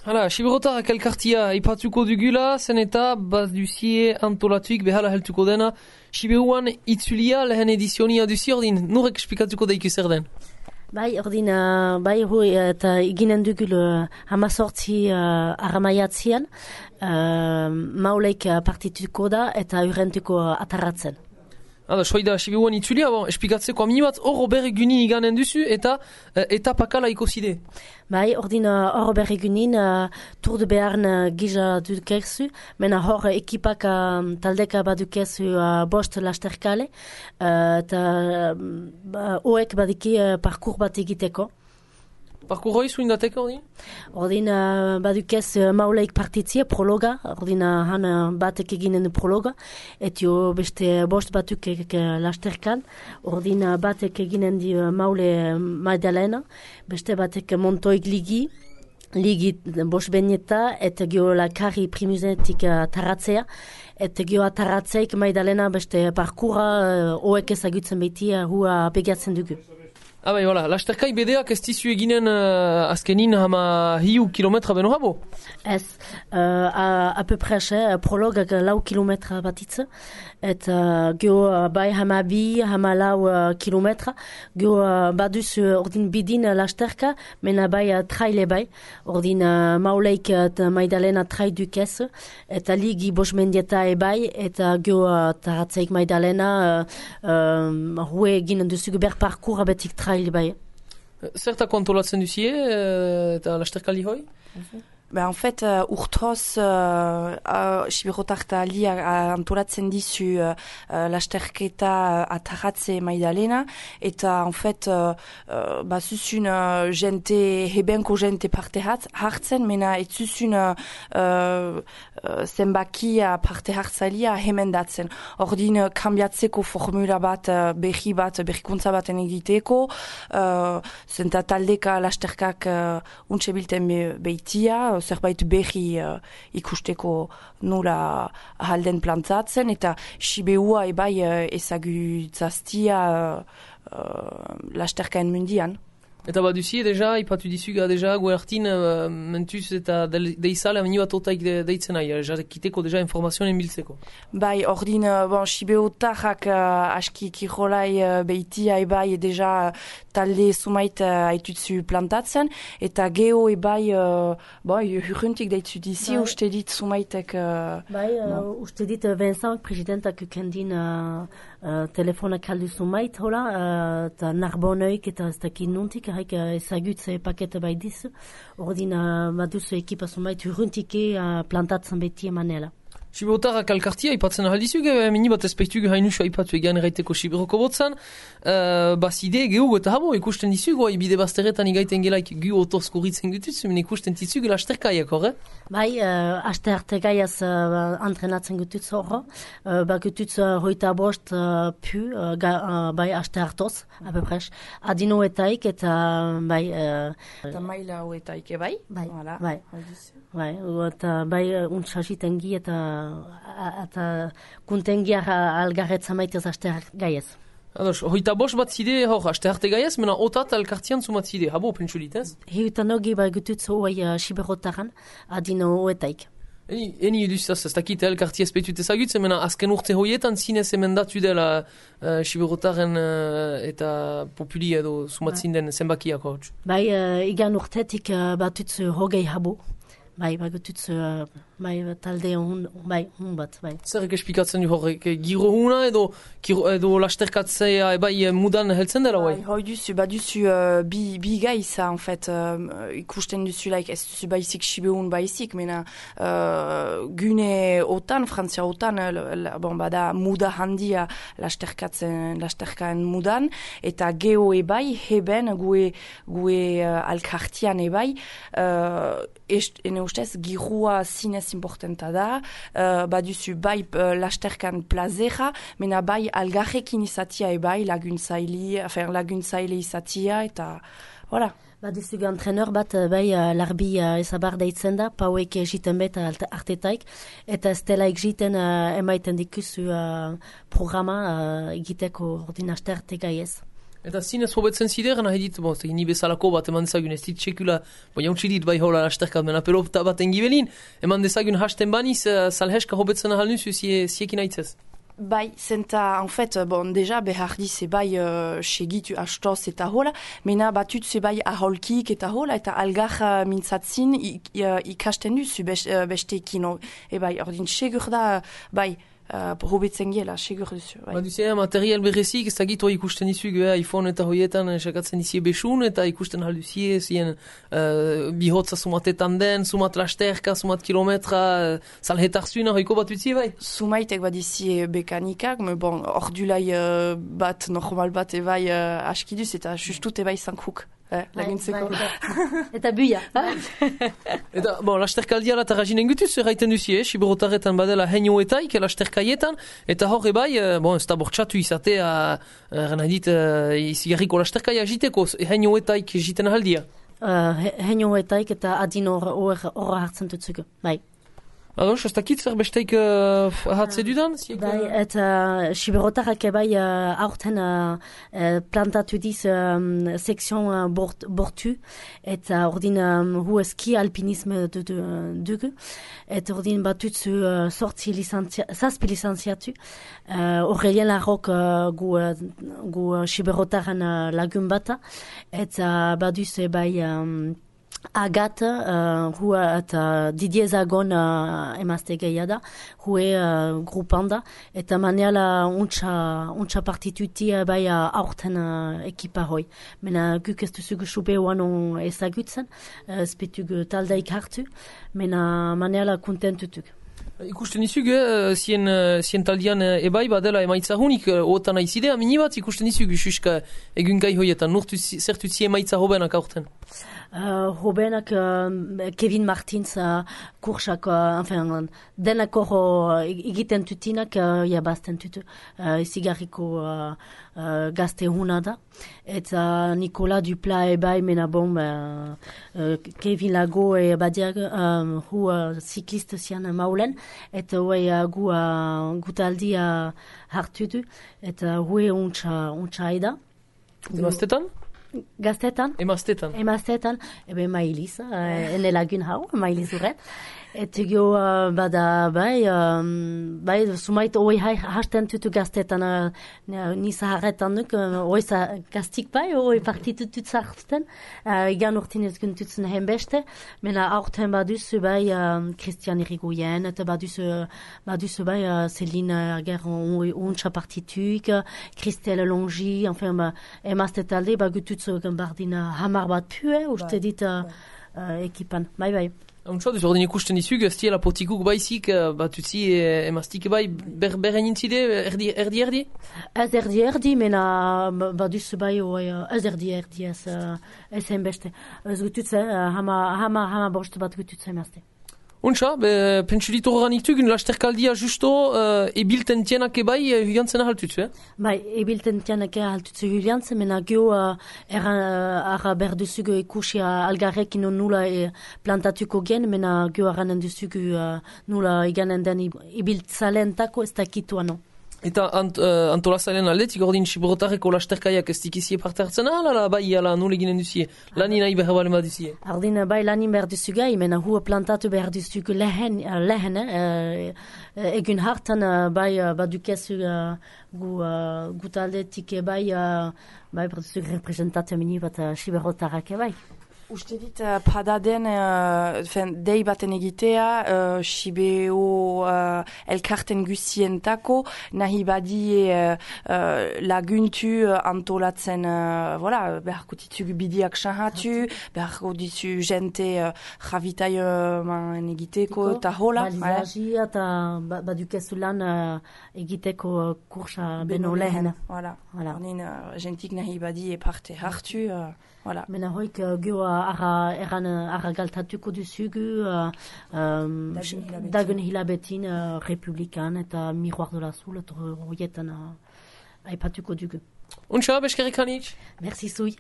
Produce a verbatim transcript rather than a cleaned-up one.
Hala, Siberotarrak elkartia ipatuko dugula, zen eta baz duzie antolatuik behala heltuko dena. Siberuan itzulia lehen edizionia duzi ordin, nurek esplikatuko daiku zer den? Bai, ordin, uh, bai, hui, eta iginen dugul uh, hamazortzi uh, aramaiatzian, uh, mauleik uh, partituko da eta urrentuko uh, atarratzen. Hala, soida Siberuan itzulia, bon, esplikatzeko aminibat horro berregunin iganen duzu eta uh, etapakala ikoside. Bai, ordin hor uh, berregunin uh, Tour de Bearn uh, gija dukezu, mena hor uh, ekipak uh, taldeka badukezu uh, bost lasterkale, uh, eta uh, hoek badiki uh, parkour bat egiteko. Parkour hoi zuindateko, ordin? Ordin uh, badukez uh, mauleik partitzie, prologa, ordin uh, han uh, batek eginen prologa, etio beste bost batuk ek uh, lasterkan, ordin uh, batek eginen di uh, maule uh, Magdalena, beste batek montoik ligi, ligi bost benieta, eta gio la kari primuzetik uh, taratzea, eta gio ataratzeik Magdalena beste parkoura uh, hoek ezagutzen beti uh, hua pegatzen dugu. Ah bai, voilà. Lasterkai bedeak ez dizu eginen uh, azkenin hama hiu kilometra beno habo? Ez, uh, a, a peu près, eh, prologak lau kilometra batitz, eta uh, gio uh, bai hama bi, hama lau uh, kilometra, gio uh, baduz uh, ordin bidin uh, lasterka, mena bai uh, traile bai, ordin uh, mauleik eta uh, Maidalena trai dukez, eta ligi bos mendieta e bai, eta gio uh, taratzeik Maidalena uh, um, hue eginen duzugu ber parkour abetik traile bai. Zerta kontolatzen duzie eta lasterkali hoi? Ben, en fait, uh, urtoz, uh, uh, Siberotarta ali uh, antolatzen dizu uh, uh, lasterketa uh, ataratze Maidalena, eta, en fait, uh, uh, ba, zuzun uh, jente, hebenko jente parte hartzen, mena ez zuzun uh, uh, zenbakia parte hartzalia hemendatzen. Ordin, uh, kambiatzeko formula bat, uh, berri bat, berrikuntza baten egiteko, uh, zenta taldeka lasterkak uh, untxe bilten be, beitia, zerbait berri uh, ikusteko nola ahalden plantatzen, eta Sibeua ebai uh, ezagutzaztia uh, uh, lasterkaen mundian. Eta bat duzie, deja, ipatu dizuga, deja, guertin, uh, mentuz eta deizale amini bat otaik de, deitzen nahi, jarrekiteko deja informazioen biltzeko. Bai, ordin, uh, bon, Sibeotarrak uh, aski kirolai uh, beitia ebai deja talde sumait uh, haitutzu plantatzen, eta geho ebai, uh, bon, hurruntik deitzu dizi, bai. Uste dit sumaitek... Uh, bai, uh, no. Uste dit Vincent, presidentak ukendin uh, uh, telefonak aldu sumait, hola, eta uh, narboneuk eta ez dakit nuntik, haik uh, ezagutze pakete bai dizu, ordin uh, baduzu ekipa sumait hurruntike uh, plantatzen beti emanela. Siberotarrak alkartia ipatzen ahaldizuk, mini bat espeituk hainusua ipatu egan erraiteko Siberoko botzan, uh, bazide gehugo eta habo ikusten dizuk, oi bide bazteretan igaiten gelaik gu otorskurritzen gutuz, men ikusten dizuk lasterkaiak horre? Bai, uh, aste arte gaiaz uh, antrenatzen gutuz horro, uh, ba gutuz uh, hoita bost uh, pu, uh, ga, uh, bai aste hartoz, apepres, adinoetaik eta bai... Uh, eta maila hoetaik, bai? Bai, voilà. Bai, bai, eta bai untsasitengi eta eta kuntengia algarretza maitez aste gaiez. Ados, hoita bost bat zide hor aste arte gaiez, mena otat alkartian zumat zide, habo pentsulit, ez? Hiutan hogi bai gutuz hoi uh, Siberotaran adino hoetaik. Eni, eni eduz, ez dakit elkartia espetut ezagutzen, mena azken urte hoietan zinez emendatu dela uh, Siberotaren uh, eta populi edo sumatzin den zenbakiak hor. Bai, uh, igan urtetik uh, batutz hogei habo. Bai, bai, gututz, uh, bai, talde hon, bai, hon bat, bai. Zerrek esplikatzen du horrek, giro huna edo, edo lasterkatzea ebai mudan heltzen dela, bai? Hoi duzu, ba duzu uh, bi, bi gaiza, en fait, uh, ikusten duzu, like, ez duzu baizik Sibeun baizik, mena uh, gune otan, Frantzia otan, uh, bon, bada muda handia lasterkatzen, lasterkaen mudan, eta geho ebai, heben, gue, gue uh, alkartian ebai, uh, est, ene ustez, girua zinez importanta da, uh, baduzu bai uh, lasterkan plazera, mena bai algarrekin izatia ebai laguntzaile, enfin, laguntzaile izatia, eta, voilà. Baduzu antrenor bat, bai, uh, larbi uh, ezabar deitzen da, pauek egiten bet artetaik, eta ez dela egiten uh, emaiten dikuzu uh, programa uh, egiteko ordinasterte gaiez. Eta zinez hobetzen zider, nahi dit, bon, ni bezalako bat eman dezagun, ez dit sekula, bo jauntsi dit bai hola lasterkat, mena pelota bat engibelin, eman dezagun hasten baniz, uh, salheska hobetzen ahal nuzu, ziekin aitzez. Bai, zenta, en fait, bon, deja, behar di ze bai uh, segitu astoz eta hola, mena batut ze bai aholkik eta hola, eta algar uh, mintzatzin ikasten duzu besteekin, e bai, ordin segur da, bai, Uh, hobetzen gela, segur duzu. Bai. Ba duzu, material berezik, ez dakit hoi ikusten dizu, eh, iPhone eta hoietan, sakatzen dizie besun, eta ikusten hal duzie, zien uh, bihotza sumatetan den, sumat lasterka, sumat kilometra, uh, salhetar zuena, hoiko bat utzi, bai? Sumaitek bat dizie bekanikak, me bon, ordulai uh, bat, normal bat, ebai uh, askiduz, eta justut ebai zankuk. Eh, laguntzeko. Eta buia. Eta, bon, lasterkaldiala eta rajinen gutuz, erraiten duzie, eh? Siberotarretan badela heinoetaik, lasterkaietan, eta hor ebai, bon, ez da bortxatu izatea, erran adit, izigarriko lasterkaia jiteko, heinoetaik jiten ahaldia. Uh, heinoetaik eta adin horra hartzen dutzuko, bai. Ados, ez dakit zer besteik uh, ahatze dudan? Bai, eta uh, Siberotarrak ebai uh, aurten uh, uh, plantatu diz um, sekzion uh, bort, bortu, eta ordin um, hu ski alpinisme dugu, eta ordin batutzu uh, sortzi licentzia, zazpi licenziatu, uh, Aurelien Larrok uh, gu, uh, gu uh, Siberotarren uh, lagun bata, eta baduz ebai um, Agathe, uh, hua eta Didier Zagon uh, emazte gehiago da, hue uh, grupanda, eta maniala untsa, untsa partituti uh, bai uh, aurten uh, ekipa hoi. Mena guk ez duzugu supe oanon ezagutzen, uh, spetugu taldeik hartu, mena maniala kontentutuk. Ikusten izug, eh, zien, zien taldian ebai badela emaitza hunik, otan aizidea, minibat ikusten izug, suska egun gai hoietan, nurtu zertutzi emaitza hobenak aurten. Uh, hobenak uh, Kevin Martins uh, kursak, uh, enfin, denako uh, egiten tutinak uh, jabazten tutu, uh, zigarriko uh, uh, gazte huna da, eta Nicolas Dupla ebai mena bom, uh, uh, Kevin Lago e badiag, um, hu uh, ziklist zian maulen, eta hue uh, gu uh, gutaldi uh, hartu du, eta hue untsa, untsa eda. Emaztetan? Gaztetan? Emaztetan. Emaztetan, ebe mailiz, uh, ene lagun hau, mailiz urret. Eta gio, uh, bada, bai, um, bai, sumait oi hasten tutu gaztetan, uh, nisa harretan nuk, uh, oi gaztik bai, oi partitutut zartzen, uh, igan urtin ez guntutzen henbeste, mena aurten baduzu bai, um, Christian Irigoyen, eta baduzu, baduzu bai, uh, Céline Ager untsa partituik, Christelle Longi, enfin, ba, emazte talde, bagututzu gambardina hamar bat pue, uste dit uh, uh, ekipan, bai, bai. Untsa, duz ordin ikusten dizug, ez tiela potikuk baizik, bat utzi emaztik bai, ber, beren intzide, erdi, erdi, erdi? Ez erdi, erdi, mena baduz bai, ez erdi, erdi, ez, ez henbeste. Ez gututze, hama, hama, hama bost bat gututze emazte. Untsa, pentsu ditu horren iktugun, lasterkaldia justo uh, ebilten tienak ebai uh, huliantzen ahaltutzu, eh? Bai, ebilten tienak ahaltutzu huliantzen, mena gio uh, erran uh, arra berduzugu ikusi uh, algarrekin nula e, plantatuko gen, mena gio arranen duzugu uh, nula iganen den ibiltzalentako ez dakitu ano. Eta ant, uh, antolazaren aldetik ordin Siberotarreko lasterkaiak ez dikizie parte hartzen ahal, ala bai, ala nule ginen duzie, lani nahi behar bale duzie? Ordin bai lanin behar duzugai, mena hua plantatu behar duzugu lehen, lehen uh, egun hartan uh, bai uh, badukezu uh, gu, uh, gu taldetik bai, uh, bai berduzug representatu mini bat uh, Siberotarrak bai. Uste dit, uh, padaden, uh, fen, dei baten egitea, uh, Sibeo uh, elkarten guzientako, nahi badie uh, uh, laguntu uh, antolatzen, uh, voilà, beharko ditugu bidiak sahatu, beharko ditu jente uh, javitai uh, man egiteko, eta hola. Balizaji eta badukezu lan uh, egiteko uh, kursa beno lehen. Voilà, voilà. Honin, uh, jentik nahi badie parte hartu, uh, voilà. Mena hoik uh, gio Ara, eran ara galtatuko duzugu uh, um, dagun hilabetin uh, republikan eta miroir de la soul eta horietan uh, aipatuko dugu. Untsa, beskerrik hanitz. Merci zui.